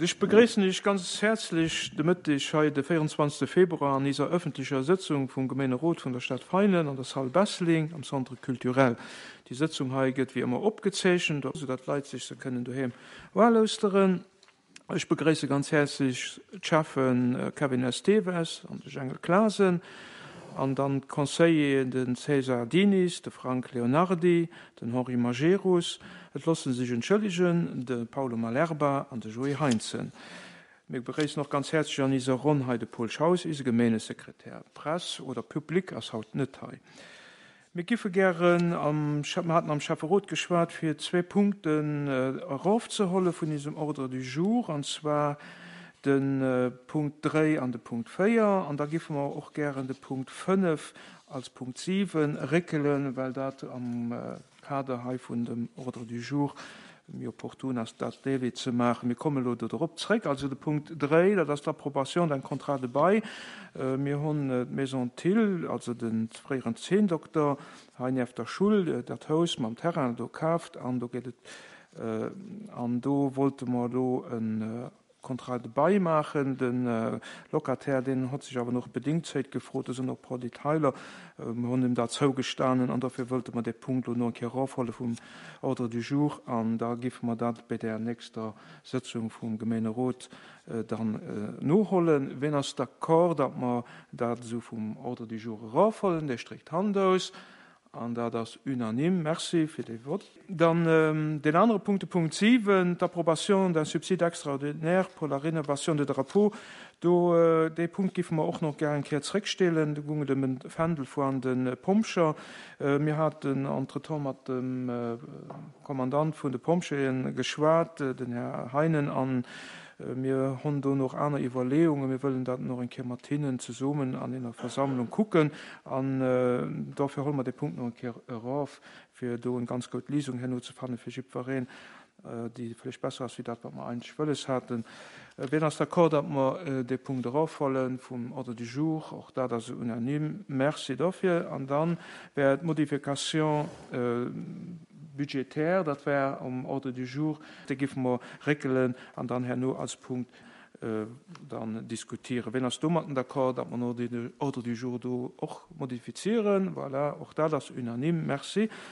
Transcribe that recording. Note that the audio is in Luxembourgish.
Ech begréissen Iech ganz häerzlech de Mëtteg hei de 24 Februar an iser ëffentlecher Sëtzung vum Gemeenerot vun der Stad Veinen an der Salle Besseling am Centre Culturel. Déi Sëtzung hei gëtt wéi ëmmer opgezeechent, esou datt d'Leit sech se kënnen doheem ualauschteren. Ech begréisse ganz häerzlech d'Schäffe Kevin Esteves an de Jengel Clasen an dann d'Conseilleren, de César Diniz, de Frank Leonardy, Den Henri Majerus, et loosse sech entschëllegen, de Paulo Malerba an de Joé Heintzen. Mir begréissen och ganz häerzlech an iser Ronn hei de Paul Schaus, ise Gemeenesekretär. Press oder Public ass haut net hei. Mir giffe gären am, mir haten am Schäfferot geschwat, fir zwee Punkten erofzeholle vun isem Ordre du jour, an zwar de Punkt 3 an de Punkt 4. An da giffe mer och gären de Punkt 5 als Punkt 7 réckelen, well dat am Kader hei vun dem Ordre du jour méi opportun ass, dat dee Wee ze maachen. Mir kommen elo do drop zréck. Also de Punkt 3, dat ass d'Approbation d'un contrat de bail. Mir hunn d'Maison Thill, also de fréieren Zeenndokter hei nieft der Schull, dat Haus mam Terrain do kaaft an do geet et, an do wollte mer elo e Contrat de bail maachen. De Locataire, deen hott sech awer noch Bedenkzéit gefrot, do sinn och e puer Detailer, mer hunn him dat zougestanen an dofir wëllte mer dee Punkt elo no eng Kéier erofhuele vum Ordre du jour an da giffe mer dat bei där nächster Sëtzung vum Gemeenerot dann nohollen. Ween ass d'accord, datt mer dat esou vum Ordre du jour erofhuelen? Dee stréckt d'Hand aus. An dat ass unanime. Merci fir dee Vott. Dann deen anere Punkt, de Punkt 7, d'Approbation d'un subside extraordinaire pour la rénovation des drapeaux. Do, dee Punkt géife mer och nach gär eng Kéier zréckstellen. Do goung et ëm e Fändel voan de Pompjer. Mir haten entretemps mat dem Kommandant vun de Pompjeeë geschwat, den Här Heinen, an Mir honn do noch aner Iwwerleeungen. Mir wëllen dat noch eng Kéier mat hinnen zesummen an ener Versammlung kucken. An dofir holle mer dee Punkt noch eng Kéier erof, fir do eng ganz goud Lisung herno ze fanne fir jiddwereen, déi vläicht besser ass wéi dat, wat mer eigentlech wëlles haten. Wien ass d'accord, datt mer dee Punkt erofholle vum Ordre du jour? Och dat ass unanime. Merci dofir. An da wär d'Modification budgétaire, dat wär um Ordre du jour, déi géife mer réckelen an dann herno als Punkt dann diskutieren. Wien ass domatten d'accord, datt mer den Ordre du jour do och modifizieren? Voilà, och dat ass unanime. Merci.